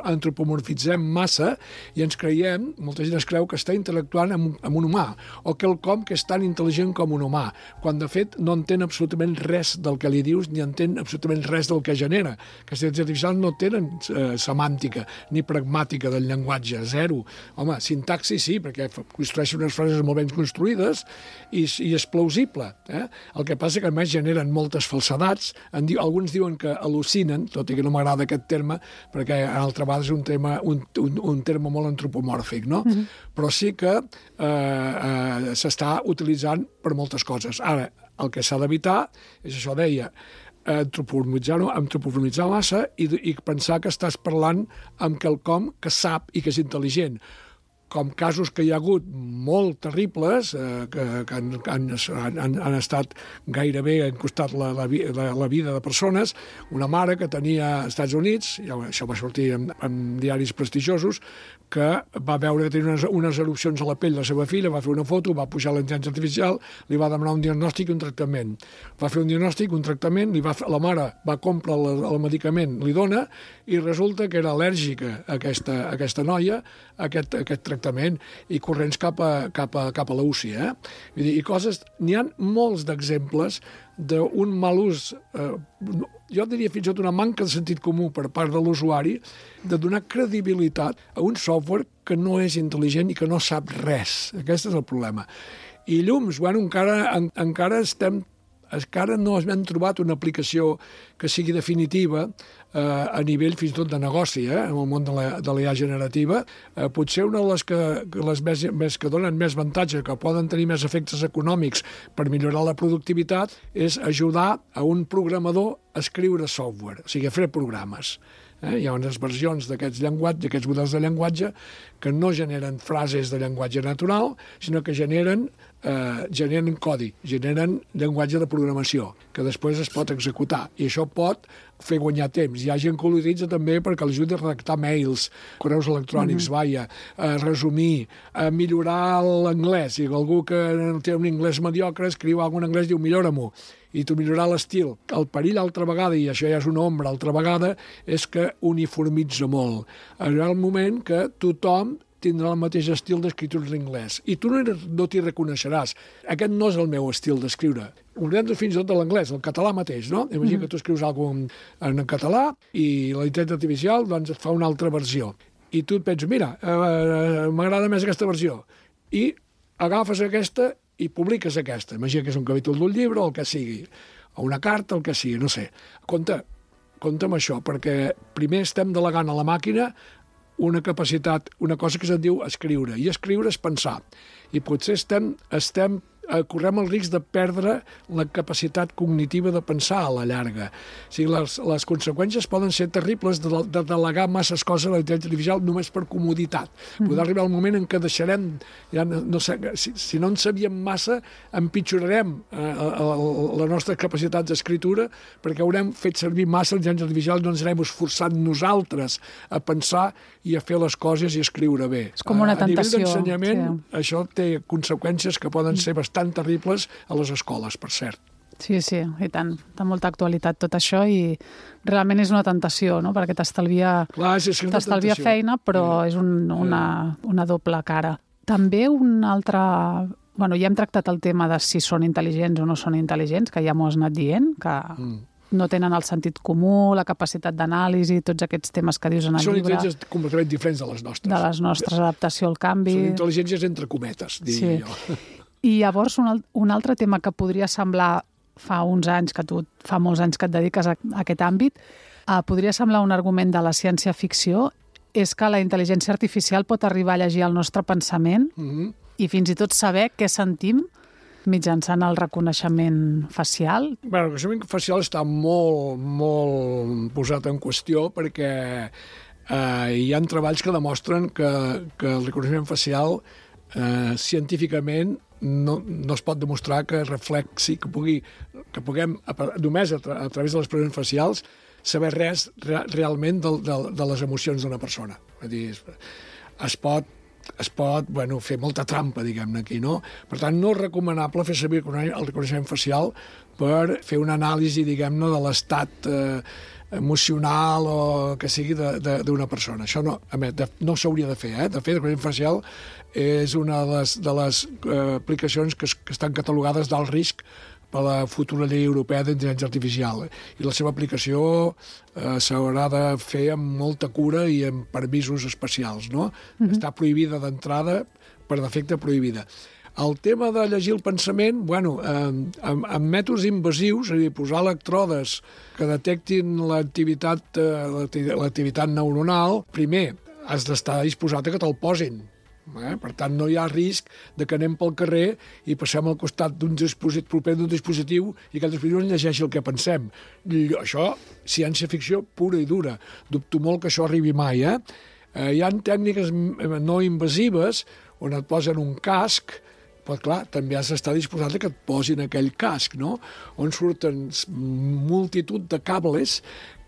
antropomorfitzem massa i ens creiem, molta gent es creu que està intel·lectuant amb, amb un humà, o quelcom que és tan intel·ligent com un humà, quan de fet no entén absolutament res del que li dius ni entén absolutament res del que genera. Aquestes intel·ligències artificials no tenen eh, semàntica ni pragmàtica del llenguatge, zero. Home, sintaxi sí, perquè construeixen unes frases molt ben construïdes i, i és plausible. Eh? El que passa que a més generen moltes falsedats. En di, alguns diuen que al·lucinen, tot i que no m'agrada aquest terme, perquè a altra vegada és un, tema, un, un, un terme molt antropomòrfic, no? Mm-hmm. Però sí que eh, eh, s'està utilitzant per moltes coses. Ara, el que s'ha d'evitar és això, deia, antropomorfitzar-ho, antropomorfitzar massa i, i pensar que estàs parlant amb quelcom que sap i que és intel·ligent, com casos que hi ha hagut molt terribles, eh, que, que han, han, han, han estat gairebé, han costat la, la, la, la vida de persones. Una mare que tenia als Estats Units, ja, això va sortir en, en diaris prestigiosos, que va veure que tenia unes, unes erupcions a la pell de la seva filla, va fer una foto, va pujar a la intel·ligència artificial, li va demanar un diagnòstic i un tractament. Va fer un diagnòstic, un tractament, li va, la mare va comprar el, el medicament, li dona, i resulta que era al·lèrgica a aquesta, a aquesta noia, a aquest, a aquest tractament, i corrents cap a, cap a, cap a la U C I, eh? Vull dir, i coses, n'hi ha molts d'exemples d'un mal ús, eh, jo diria fins i tot una manca de sentit comú per part de l'usuari, de donar credibilitat a un software que no és intel·ligent i que no sap res. Aquest és el problema. I llums, bueno, encara, en, encara estem encara no hem trobat una aplicació que sigui definitiva eh, a nivell fins i tot de negoci, eh, en el món de la, de l'I A generativa. Eh, potser una de les que, les més, més, que donen més avantatge, que poden tenir més efectes econòmics per millorar la productivitat, és ajudar a un programador a escriure software, o sigui, a fer programes. Eh? Hi ha unes versions d'aquests llenguatges, d'aquests models de llenguatge que no generen frases de llenguatge natural, sinó que generen, eh, generen codi, generen llenguatge de programació, que després es pot executar. I això pot fer guanyar temps. Hi ha gent que l'utilitza també perquè l'ajudi a redactar mails, correus electrònics, mm-hmm. vaja, a resumir, a millorar l'anglès. Si algú que té un anglès mediocre escriu alguna en anglès, diu millora-m'ho, i tu millorar l'estil. El perill altra vegada, i això ja és una ombra altra vegada, és que uniformitza molt. Arriba el moment que tothom tindrà el mateix estil d'escriptura en anglès. I tu no, no t'hi reconeixeràs. Aquest no és el meu estil d'escriure. Oblidem fins i tot de l'anglès, el català mateix, no? Imagina mm. que tu escrius alguna cosa en, en català i la intel·ligència artificial doncs, et fa una altra versió. I tu et penses, mira, eh, m'agrada més aquesta versió. I agafes aquesta i publiques aquesta. Imagina que és un capítol d'un llibre o el que sigui, o una carta, el que sigui, no sé. Compte, compte amb això, perquè primer estem delegant a la màquina una capacitat, una cosa que se'n diu escriure, i escriure és pensar. I potser estem, estem correm el risc de perdre la capacitat cognitiva de pensar a la llarga. O sigui, les, les conseqüències poden ser terribles de, de delegar masses coses a la intel·ligència artificial només per comoditat. Mm. Podrà arribar el moment en què deixarem, ja no, no sé, si, si no en sabíem massa, empitjorarem eh, la nostra capacitat d'escriptura perquè haurem fet servir massa la intel·ligència artificial i no ens anem esforçant nosaltres a pensar i a fer les coses i escriure bé. És com una tentació. A nivell d'ensenyament, sí. Això té conseqüències que poden ser bastant tan terribles a les escoles, per cert. Sí, sí, i tant. Té molta actualitat tot això i realment és una tentació, no? Perquè t'estalvia, Clar, és, és t'estalvia feina, però sí. és un, una, una doble cara. També un altre... Bueno, ja hem tractat el tema de si són intel·ligents o no són intel·ligents, que ja m'ho has anat dient, que mm. no tenen el sentit comú, la capacitat d'anàlisi, tots aquests temes que dius en el són llibre. Són intel·ligències completament diferents de les nostres. De les nostres, adaptació al canvi. Són intel·ligències entre cometes, diria sí. jo. I llavors un, un altre tema que podria semblar fa uns anys, que tu fa molts anys que et dediques a, a aquest àmbit, eh, podria semblar un argument de la ciència-ficció, és que la intel·ligència artificial pot arribar a llegir el nostre pensament mm-hmm. i fins i tot saber què sentim mitjançant el reconeixement facial. Bé, el reconeixement facial està molt, molt posat en qüestió perquè eh, hi ha treballs que demostren que, que el reconeixement facial eh, científicament no, no es pot demostrar que reflexi, que, pugui, que puguem, només a, tra a través de les expressions facials, saber res re realment de, de, de les emocions d'una persona. És dir, es, es pot es pot bueno, fer molta trampa, diguem-ne, aquí, no? Per tant, no és recomanable fer servir el reconeixement facial per fer una anàlisi, diguem-ne, de l'estat eh, emocional o que sigui d'una persona. Això no, a més, de, no s'hauria de fer, eh? De fet, el reconeixement facial és una de les, de les eh, aplicacions que, es, que estan catalogades d'alt risc per la futura llei europea d'intel·ligència artificial. I la seva aplicació eh, s'haurà de fer amb molta cura i amb permisos especials, no? Mm-hmm. Està prohibida d'entrada, per defecte prohibida. El tema de llegir el pensament, bueno, eh, amb, amb mètodes invasius, és a dir, posar electrodes que detectin l'activitat eh, l'activitat neuronal, primer, has d'estar disposat a que te'l posin. Eh? Per tant, no hi ha risc de que anem pel carrer i passem al costat d'un dispositiu, proper d'un dispositiu i aquell dispositiu ens llegeixi el que pensem. I això, ciència-ficció pura i dura. Dubto molt que això arribi mai. Eh? Eh, hi ha tècniques no invasives on et posen un casc, però clar, també has d'estar disposat a que et posin aquell casc, no? On surten multitud de cables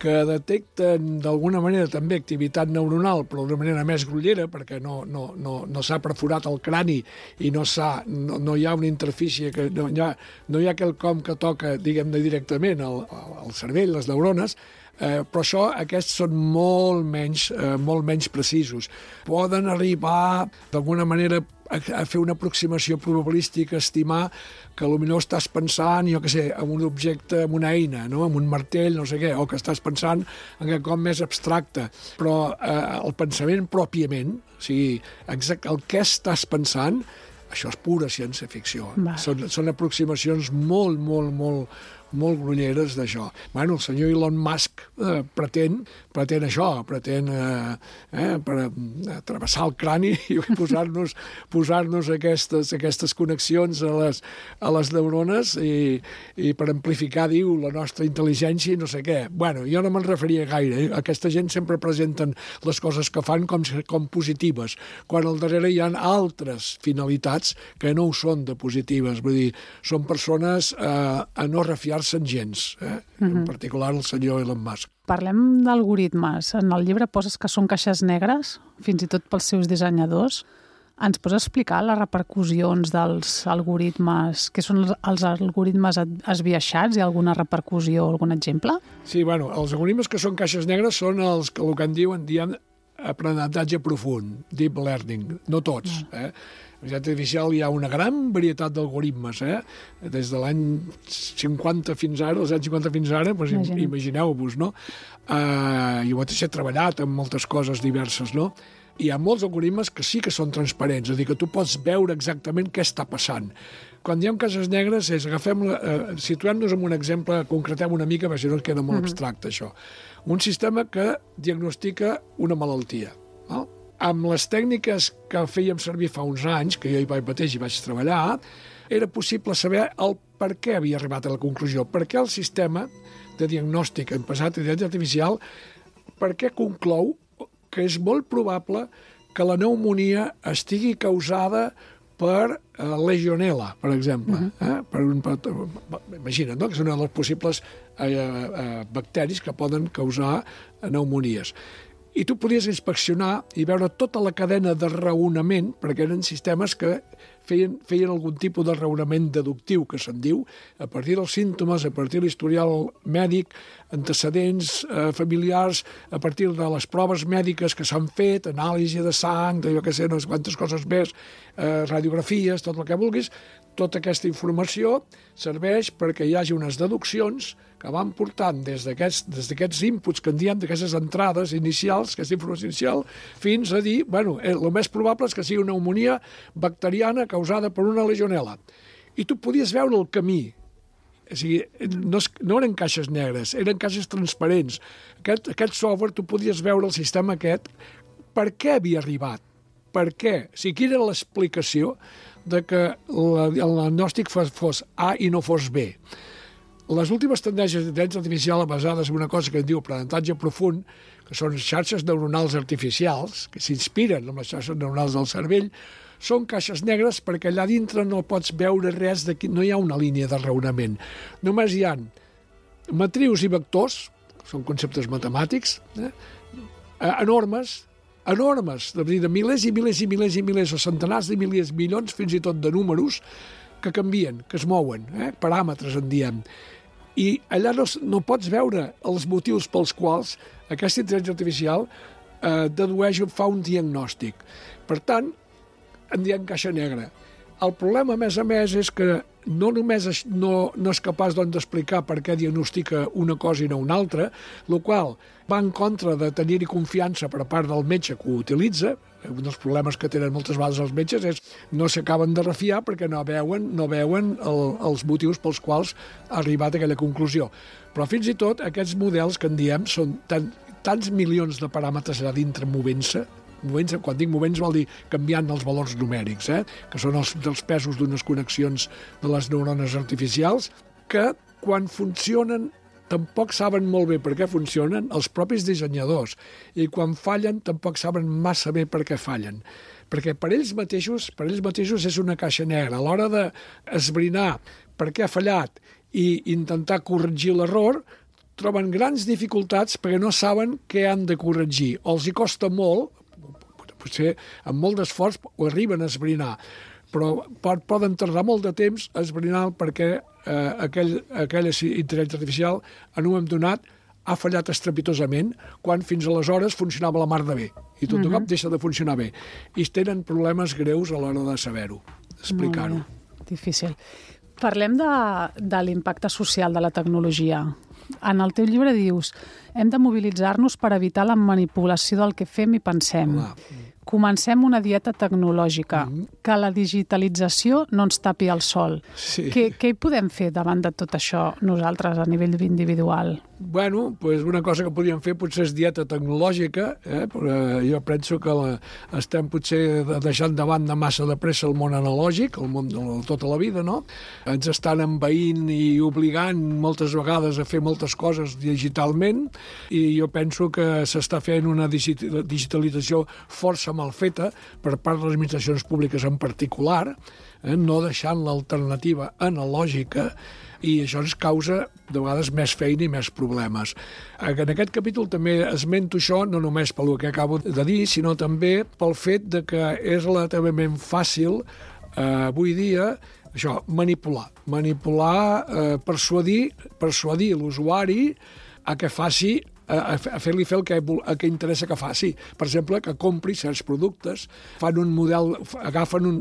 que detecten d'alguna manera també activitat neuronal, però d'una manera més grollera, perquè no, no, no, no s'ha perforat el crani i no, no, no hi ha una interfície, que no hi ha, no hi ha quelcom que toca, diguem-ne, directament al, al cervell, les neurones, eh, però això, aquests són molt menys, eh, molt menys precisos. Poden arribar, d'alguna manera, a, a fer una aproximació probabilística, estimar que potser estàs pensant, jo què sé, en un objecte, en una eina, no? En un martell, no sé què, o que estàs pensant en quelcom més abstracte. Però eh, el pensament pròpiament, o sigui, exacte, el que estàs pensant, això és pura ciència-ficció. Són, són aproximacions molt, molt, molt, molt grolleres d'això. Bueno, el senyor Elon Musk eh, pretén, pretén això, pretén eh, eh, per eh, travessar el crani i posar-nos posar-nos aquestes, aquestes connexions a les, a les neurones i, i per amplificar, diu, la nostra intel·ligència i no sé què. Bueno, jo no me'n referia gaire. Eh? Aquesta gent sempre presenten les coses que fan com, com positives, quan al darrere hi ha altres finalitats que no ho són de positives. Vull dir, són persones eh, a no refiar-se'n gens, eh? Mm-hmm. En particular el senyor Elon Musk. Parlem d'algoritmes. En el llibre poses que són caixes negres, fins i tot pels seus dissenyadors. Ens pots explicar les repercussions dels algoritmes? Què són els, els algoritmes esbiaixats? Hi ha alguna repercussió o algun exemple? Sí, bueno, els algoritmes que són caixes negres són els que el que en diuen, diem, aprenentatge profund, deep learning, no tots. Eh? En l'intel·ligència artificial hi ha una gran varietat d'algoritmes, eh? Des de l'any cinquanta fins ara, els anys cinquanta fins ara, doncs Imagina. imagineu-vos, no? Uh, jo mateix he treballat en moltes coses diverses, no? Hi ha molts algoritmes que sí que són transparents, és a dir, que tu pots veure exactament què està passant. Quan diem cases negres, és agafem, eh, situem-nos en un exemple, concretem una mica, perquè si no ens queda molt uh-huh. abstracte, això. Un sistema que diagnostica una malaltia. Val? Amb les tècniques que fèiem servir fa uns anys, que jo hi vaig mateix i vaig treballar, era possible saber el per què havia arribat a la conclusió, per què el sistema de diagnòstic en passat d'intel·ligència artificial, per què conclou que és molt probable que la pneumonia estigui causada per eh, legionel·la, per exemple. Uh-huh. eh? per un, per, imagina't, no? Que són els possibles eh, eh, bacteris que poden causar pneumonies. I tu podies inspeccionar i veure tota la cadena de raonament, perquè eren sistemes que feien, feien algun tipus de raonament deductiu, que se'n diu, a partir dels símptomes, a partir de l'historial mèdic, antecedents eh, familiars, a partir de les proves mèdiques que s'han fet, anàlisi de sang, de jo què sé, no sé quantes coses més, eh, radiografies, tot el que vulguis, tota aquesta informació serveix perquè hi hagi unes deduccions que van portant des d'aquests des d'aquests inputs que en diem, d'aquestes entrades inicials, aquesta informació inicial, fins a dir, bueno, el més probable és que sigui una pneumonia bacteriana causada per una legionel·la. I tu podies veure el camí. O sigui, no, es, no eren caixes negres, eren caixes transparents. Aquest, aquest software, tu podies veure el sistema aquest, per què havia arribat? Per què? O sigui, quina era l'explicació de que la, el diagnòstic fos, fos A i no fos B. Les últimes tendències d'intel·ligència artificial basades en una cosa que es diu aprenentatge profund, que són xarxes neuronals artificials, que s'inspiren en les xarxes neuronals del cervell, són caixes negres perquè allà dintre no pots veure res, de, no hi ha una línia de raonament. Només hi ha matrius i vectors, són conceptes matemàtics, eh, enormes, enormes, de, de milers i milers i milers i milers, o centenars de milers, milions, fins i tot de números, que canvien, que es mouen, eh? Paràmetres en diem. I allà no, no pots veure els motius pels quals aquesta intel·ligència artificial eh, dedueix o fa un diagnòstic. Per tant, en diem caixa negra. El problema, a més a més, és que no només es, no, no és capaç doncs, d'explicar per què diagnostica una cosa i no una altra, el qual va en contra de tenir-hi confiança per part del metge que ho utilitza. Un dels problemes que tenen moltes vegades els metges és no s'acaben de refiar perquè no veuen, no veuen el, els motius pels quals ha arribat a aquella conclusió. Però fins i tot aquests models que en diem són tan, tants milions de paràmetres allà dintre movent-se, movent-se, quan dic movent vol dir canviant els valors numèrics, eh? Que són els dels pesos d'unes connexions de les neurones artificials, que quan funcionen tampoc saben molt bé per què funcionen els propis dissenyadors, i quan fallen tampoc saben massa bé per què fallen, perquè per ells mateixos, per ells mateixos és una caixa negra. A l'hora d'esbrinar per què ha fallat i intentar corregir l'error, troben grans dificultats perquè no saben què han de corregir, o els hi costa molt, potser amb molt d'esforç ho arriben a esbrinar, però poden tardar molt de temps a esbrinar perquè eh, aquell, aquella intel·ligència artificial en un moment donat ha fallat estrepitosament quan fins aleshores funcionava la mar de bé i tot de cop deixa de funcionar bé i tenen problemes greus a l'hora de saber-ho, explicar-ho. Difícil. Parlem de, de l'impacte social de la tecnologia. En el teu llibre dius hem de mobilitzar-nos per evitar la manipulació del que fem i pensem. Clar. Comencem una dieta tecnològica, mm-hmm. que la digitalització no ens tapi el sol. Sí. Què, què hi podem fer davant de tot això nosaltres a nivell individual? Bueno, pues una cosa que podríem fer potser és dieta tecnològica, eh? Però jo penso que la, estem potser deixant de banda massa de pressa el món analògic, el món de tota la vida, no? Ens estan envaint i obligant moltes vegades a fer moltes coses digitalment i jo penso que s'està fent una digitalització força mal feta per part de les administracions públiques en particular, eh, no deixant l'alternativa analògica, i això ens causa de vegades més feina i més problemes. En aquest capítol també esmento això no només pel que acabo de dir, sinó també pel fet de que és relativament fàcil eh, avui dia això, manipular, manipular, eh, persuadir, persuadir l'usuari a que faci a, a fer-li fer el que, el que interessa que faci. Per exemple, que compri certs productes, fan un model, agafen un...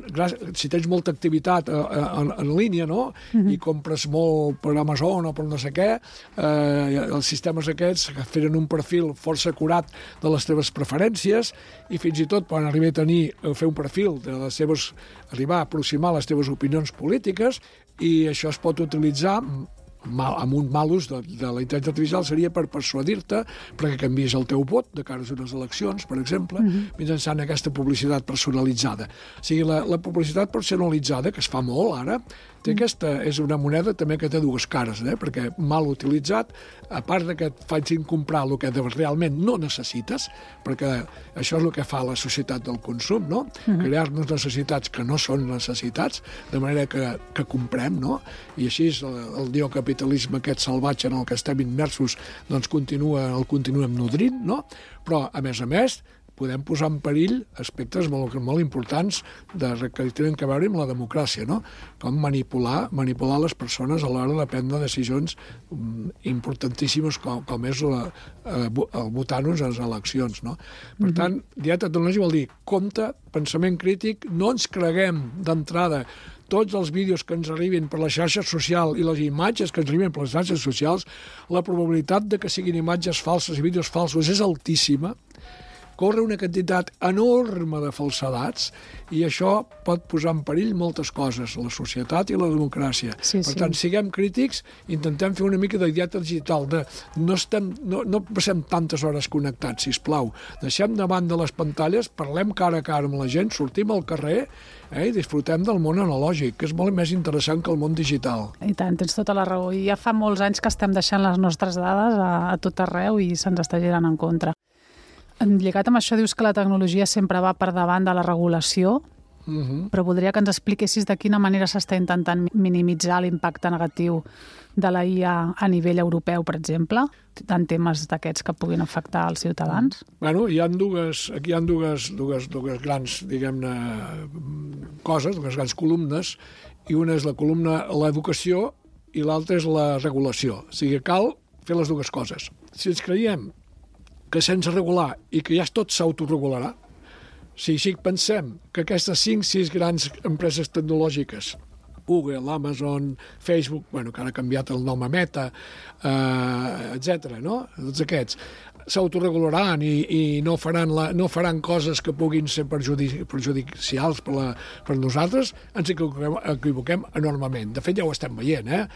Si tens molta activitat en, en línia, no?, uh-huh. i compres molt per Amazon o per no sé què, eh, els sistemes aquests feren un perfil força acurat de les teves preferències i fins i tot poden arribar a tenir, a fer un perfil de les seves, arribar a aproximar les teves opinions polítiques, i això es pot utilitzar mal, amb un mal ús de, de la intel·ligència artificial seria per persuadir-te perquè canvies el teu vot de cara a unes eleccions, per exemple, uh-huh. mitjançant aquesta publicitat personalitzada. O sigui, la, la publicitat personalitzada, que es fa molt ara, té aquesta, és una moneda també que té dues cares, eh? Perquè mal utilitzat, a part de que et facin comprar el que realment no necessites, perquè això és el que fa la societat del consum, no? Uh-huh. Crear-nos necessitats que no són necessitats, de manera que, que comprem, no? I així el, el neocapitalisme aquest salvatge en el que estem immersos doncs continua, el continuem nodrint, no? Però, a més a més, podem posar en perill aspectes molt, molt importants de, que tenen a veure amb la democràcia, no? Com manipular, manipular les persones a l'hora de prendre decisions um, importantíssimes com, com és la, uh, el votar-nos a les eleccions, no? Per mm-hmm. tant, dieta tecnològica vol dir compte, pensament crític, no ens creguem d'entrada tots els vídeos que ens arriben per les xarxes socials i les imatges que ens arriben per les xarxes socials, la probabilitat de que siguin imatges falses i vídeos falsos és altíssima, corre una quantitat enorme de falsedats i això pot posar en perill moltes coses, la societat i la democràcia. Sí, per sí. tant, siguem crítics, intentem fer una mica de dieta digital, de no, estem, no, no passem tantes hores connectats, sisplau. Deixem davant de les pantalles, parlem cara a cara amb la gent, sortim al carrer eh, i disfrutem del món analògic, que és molt més interessant que el món digital. I tant, tens tota la raó. I ja fa molts anys que estem deixant les nostres dades a, a tot arreu i se'ns està girant en contra. Lligat amb això, dius que la tecnologia sempre va per davant de la regulació, uh-huh. però voldria que ens expliquessis de quina manera s'està intentant minimitzar l'impacte negatiu de la I A a nivell europeu, per exemple, en temes d'aquests que puguin afectar els ciutadans. Bueno, hi ha dues, aquí hi ha dues, dues, dues grans, diguem-ne, coses, dues grans columnes, i una és la columna l'educació i l'altra és la regulació. O sigui, cal fer les dues coses. Si ens creiem que sense regular i que ja tot s'autoregularà, si sí, pensem que aquestes cinc sis grans empreses tecnològiques, Google, Amazon, Facebook, bueno, que ara ha canviat el nom a Meta, eh, etcètera, no? Tots aquests s'autoregularan i, i no, faran la, no faran coses que puguin ser perjudici, perjudicials per, la, per nosaltres, ens equivoquem, equivoquem enormement. De fet, ja ho estem veient, eh?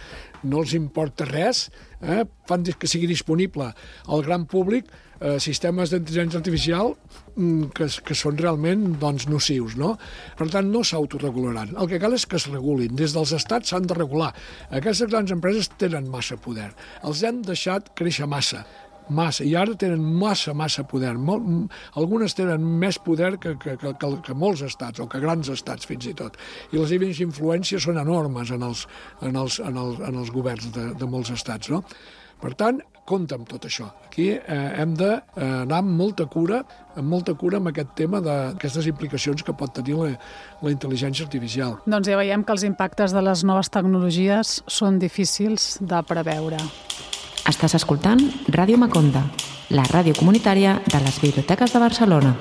No els importa res, eh? Fan que sigui disponible al gran públic eh, sistemes d'intel·ligència artificial mm, que, que són realment doncs, nocius, no? Per tant, no s'autoregularan. El que cal és que es regulin. Des dels estats s'han de regular. Aquestes grans empreses tenen massa poder. Els hem deixat créixer massa. Massa, i ara tenen massa, massa poder. Mol, algunes tenen més poder que, que, que, que molts estats, o que grans estats fins i tot. I les seves influències són enormes en els, en els, en els, en els governs de, de molts estats, no? Per tant, compte amb tot això. Aquí eh, hem d'anar amb molta cura, amb molta cura amb aquest tema d'aquestes implicacions que pot tenir la, la intel·ligència artificial. Doncs ja veiem que els impactes de les noves tecnologies són difícils de preveure. Estàs escoltant Ràdio Maconda, la ràdio comunitària de les biblioteques de Barcelona.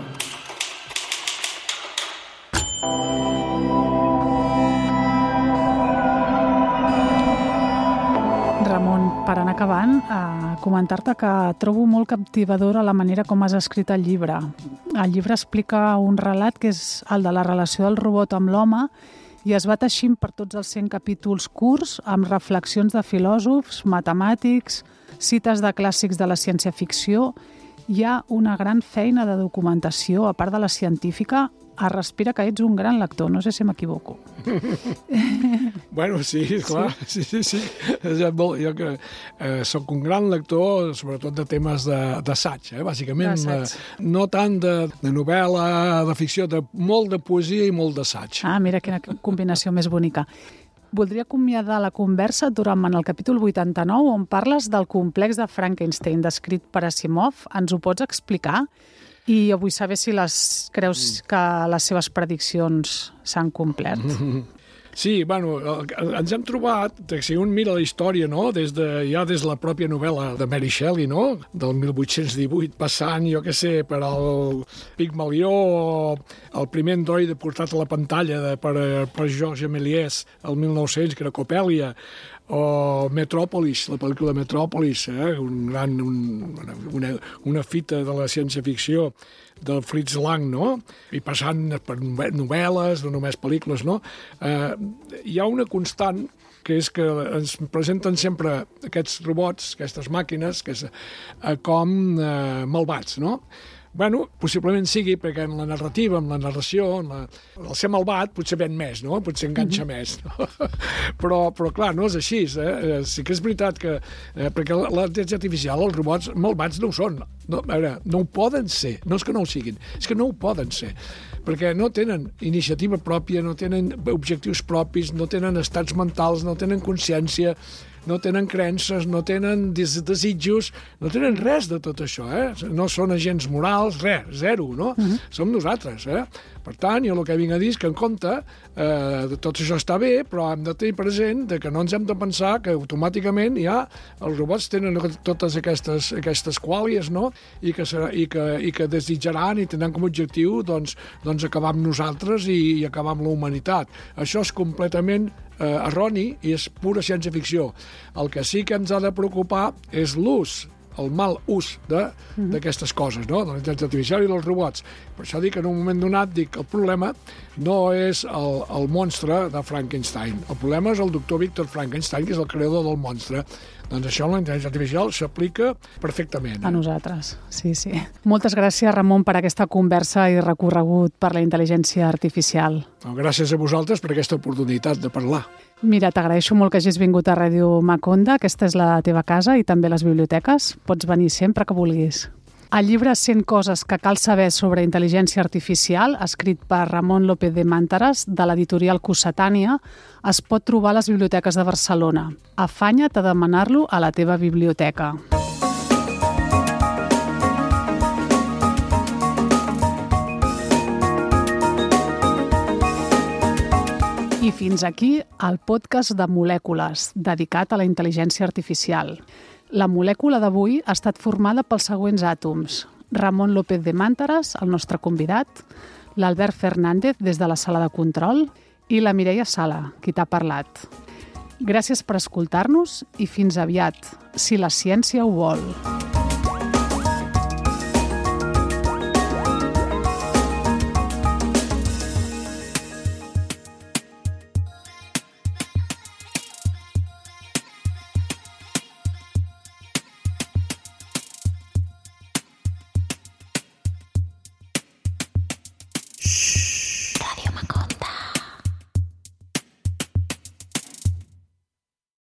Ramon, per anar acabant, eh, comentar-te que trobo molt captivadora la manera com has escrit el llibre. El llibre explica un relat que és el de la relació del robot amb l'home i es va teixint per tots els cent capítols curts amb reflexions de filòsofs, matemàtics, cites de clàssics de la ciència-ficció. Hi ha una gran feina de documentació, a part de la científica. Es respira que ets un gran lector, no sé si m'equivoco. Bueno, sí, clar, sí, sí, sí. Jo que eh, soc un gran lector, sobretot de temes d'assaig, eh, bàsicament. Eh, no tant de, de novel·la, de ficció, de molt de poesia i molt d'assaig. Ah, mira quina combinació més bonica. Voldria acomiadar la conversa durant el capítol vuitanta-nou, on parles del complex de Frankenstein descrit per Asimov. Ens ho pots explicar? I jo vull saber si les creus que les seves prediccions s'han complert. Sí, bueno, ens hem trobat, si un mira la història, no?, des de, ja des de la pròpia novel·la de Mary Shelley, no?, del mil vuit-cents divuit, passant, jo què sé, per al Pigmalió, o el primer androide portat a la pantalla de, per, per Georges Méliès, el mil nou-cents, que era Copèlia, o Metròpolis, la pel·lícula Metròpolis, eh? un gran, un, una, una fita de la ciència-ficció del Fritz Lang, no? I passant per novel·les, no només pel·lícules, no? Eh, hi ha una constant que és que ens presenten sempre aquests robots, aquestes màquines, que és, eh, com eh, malvats, no? Bueno, possiblement sigui perquè en la narrativa, en la narració, en la... el ser malvat potser ven més, no? Potser enganxa mm-hmm. més. No? però, però, clar, no és així. Eh? Sí que és veritat que... Eh, perquè la intel·ligència artificial, els robots malvats no ho són. No, a veure, no ho poden ser. No és que no ho siguin, és que no ho poden ser. Perquè no tenen iniciativa pròpia, no tenen objectius propis, no tenen estats mentals, no tenen consciència, no tenen creences, no tenen des desitjos, no tenen res de tot això, eh? No són agents morals, res, zero, no? Uh-huh. Som nosaltres, eh? Per tant, jo el que vinc a dir és que en compte eh, tot això està bé, però hem de tenir present de que no ens hem de pensar que automàticament ja els robots tenen totes aquestes, aquestes quàlies, no? I que, serà, i, que, i que desitjaran i tindran com a objectiu doncs, doncs acabar amb nosaltres i, i acabar amb la humanitat. Això és completament eh, erroni i és pura ciència-ficció. El que sí que ens ha de preocupar és l'ús, el mal ús d'aquestes mm-hmm. coses, no? De la intel·ligència artificial i dels robots. Per això dic que en un moment donat dic que el problema no és el, el monstre de Frankenstein. El problema és el doctor Víctor Frankenstein, que és el creador del monstre. Doncs això, la intel·ligència artificial, s'aplica perfectament. Eh? A nosaltres, sí, sí. Moltes gràcies, Ramon, per aquesta conversa i recorregut per la intel·ligència artificial. Gràcies a vosaltres per aquesta oportunitat de parlar. Mira, t'agraeixo molt que hagis vingut a Ràdio Maconda. Aquesta és la teva casa i també les biblioteques. Pots venir sempre que vulguis. El llibre cent coses que cal saber sobre intel·ligència artificial, escrit per Ramon López de Mántaras, de l'editorial Cossetània, es pot trobar a les biblioteques de Barcelona. Afanya't a demanar-lo a la teva biblioteca. I fins aquí el podcast de Molècules, dedicat a la intel·ligència artificial. La molècula d'avui ha estat formada pels següents àtoms: Ramon López de Mántaras, el nostre convidat, l'Albert Fernández des de la sala de control i la Mireia Sala, qui t'ha parlat. Gràcies per escoltar-nos i fins aviat, si la ciència ho vol.